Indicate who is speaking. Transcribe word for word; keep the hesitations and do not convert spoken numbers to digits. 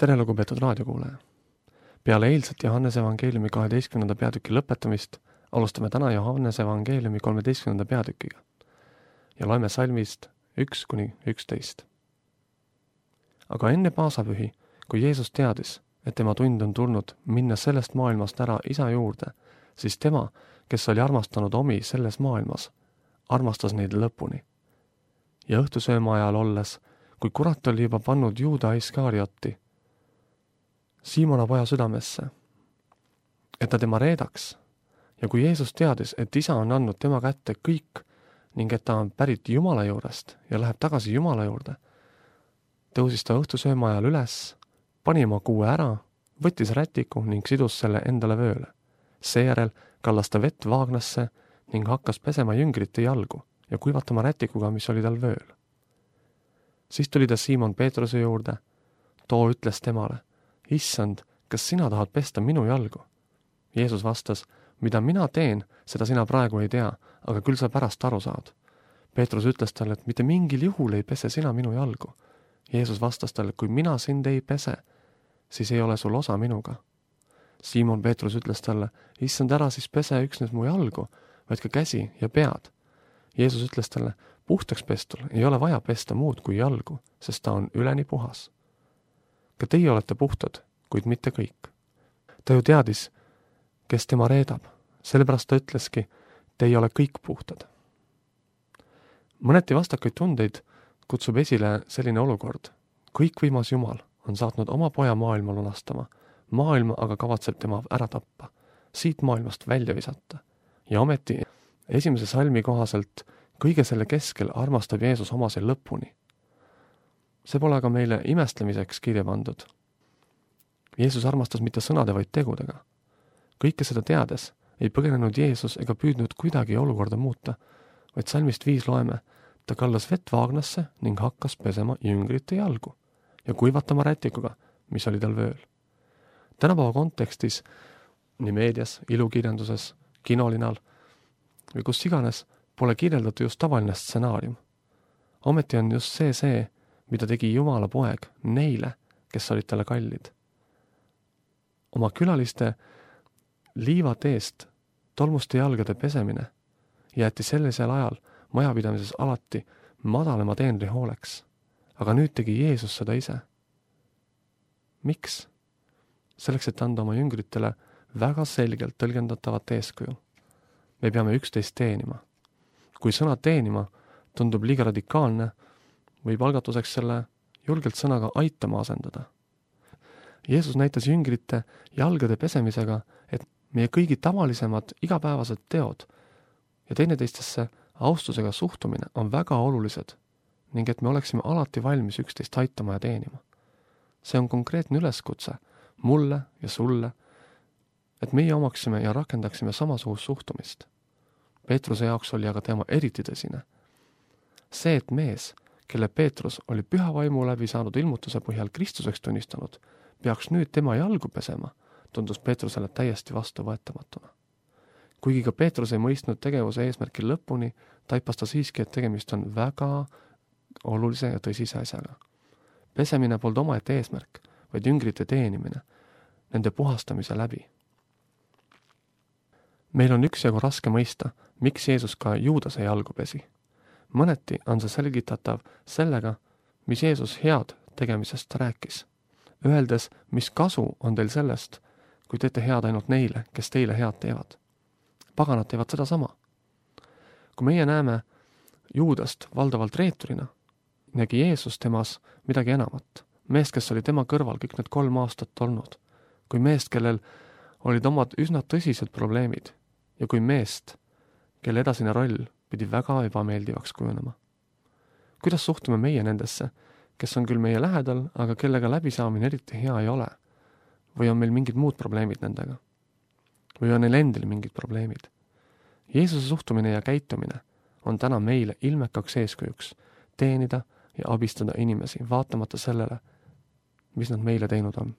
Speaker 1: tere, lugupeetud raadiokuulaja! Peale eilset Johannese evangeeliumi kaheteistkümnenda peatüki lõpetamist alustame täna Johannese evangeeliumi kolmeteistkümnenda peatükiga ja loeme salmist üks kuni üksteist. Aga enne paasapühi, kui Jeesus teadis, et tema tund on tulnud minna sellest maailmast ära isa juurde, siis tema, kes oli armastanud omi selles maailmas, armastas neid lõpuni. Ja õhtusööma ajal olles, kui kurat oli juba pannud Juuda Iskarioti Siimona poja südamesse, et ta tema reedaks, ja kui Jeesus teadis, et isa on andnud tema kätte kõik ning et ta on pärit Jumala juurest ja läheb tagasi Jumala juurde, tõusis ta õhtusööma ajal üles, pani oma kuue ära, võttis rätiku ning sidus selle endale vööle. Seejärel kallas ta vett vaagnasse ning hakkas pesema jüngrite jalgu ja kuivatama rätikuga, mis oli tal vööl. Siis tuli ta Siimon Peetruse juurde, too ütles temale: Issand, kas sina tahad pesta minu jalgu? Jeesus vastas: mida mina teen, seda sina praegu ei tea, aga küll sa pärast aru saad. Peetrus ütles talle, et mitte mingil juhul ei pese sina minu jalgu. Jeesus vastas talle: kui mina sind ei pese, siis ei ole sul osa minuga. Siimon Peetrus ütles talle: Issand, ära siis pese üksnes mu jalgu, vaid ka käsi ja pead. Jeesus ütles talle: puhtaks pestul ei ole vaja pesta muud kui jalgu, sest ta on üleni puhas. Ka teie olete puhtad, kuid mitte kõik. Ta ju teadis, kes tema reedab, sellepärast ta ütleski: te ei ole kõik puhtad. Mõneti vastakaid tundeid kutsub esile selline olukord. Kõikvõimas Jumal on saatnud oma poja maailma lunastama, maailma aga kavatseb tema ära tappa, siit maailmast välja visata. Ja ometi esimese salmi kohaselt kõige selle keskel armastab Jeesus omase lõpuni. See pole aga meile imestlemiseks kirja pandud. Jeesus armastas mitte sõnade, vaid tegudega. Kõike seda teades ei põgenenud Jeesus ega püüdnud kuidagi olukorda muuta, vaid salmist viis loeme: ta kallas vett vaagnasse ning hakkas pesema jüngrite jalgu ja kuivatama rätikuga, mis oli tal vööl. Tänapäeva kontekstis, nii meedias, ilukirjanduses, kinolinal või kus iganes, pole kirjeldatud just tavaline stsenaarium. Ometi on just see see, mida tegi Jumala poeg neile, kes olid talle kallid. Oma külaliste liivateest tolmuste jalgade pesemine jäeti sellisel ajal majapidamises alati madalama teenri hooleks, aga nüüd tegi Jeesus seda ise. Miks? Selleks, et anda oma jüngritele väga selgelt tõlgendatavat eeskuju. Me peame üksteist teenima. Kui sõna teenima tundub liiga radikaalne, võib algatuseks selle julgelt sõnaga aitama asendada. Jeesus näitas jüngrite jalgade pesemisega, et meie kõigi tavalisemad igapäevased teod ja teineteistesse austusega suhtumine on väga olulised ning et me oleksime alati valmis üksteist aitama ja teenima. See on konkreetne üleskutse mulle ja sulle, et meie omaksime ja rakendaksime samasugust suhtumist. Peetruse jaoks oli aga tema eriti tõsine. See, et mees, kelle Peetrus oli püha vaimu läbi saanud ilmutuse põhjal Kristuseks tunnistanud, peaks nüüd tema jalgu pesema, tundus Peetrusele täiesti vastuvõetamatuna. Kuigi ka Peetrus ei mõistnud tegevuse eesmärki lõpuni, taipas ta siiski, et tegemist on väga olulise ja tõsise asjaga. Pesemine polnud omaette eesmärk, vaid jüngrite teenimine, nende puhastamise läbi. Meil on üksjagu raske mõista, miks Jeesus ka Juudase jalgu pesi. Mõneti on see selgitatav sellega, mis Jeesus head tegemisest rääkis. Öeldes, mis kasu on teil sellest, kui teete head ainult neile, kes teile head teevad. Paganad teevad seda sama. Kui meie näeme Juudast valdavalt reeturina, nägi Jeesus temas midagi enamat. Meest, kes oli tema kõrval kõik need kolm aastat olnud. Kui meest, kellel olid omad üsna tõsised probleemid ja kui meest, kelle edasine roll pidi väga ebameeldivaks kujunema. Kuidas suhtume meie nendesse, kes on küll meie lähedal, aga kellega läbisaamine eriti hea ei ole? Või on meil mingid muud probleemid nendega? Või on neil endil mingid probleemid? Jeesuse suhtumine ja käitumine on täna meile ilmekaks eeskujuks teenida ja abistada inimesi, vaatamata sellele, mis nad meile teinud on.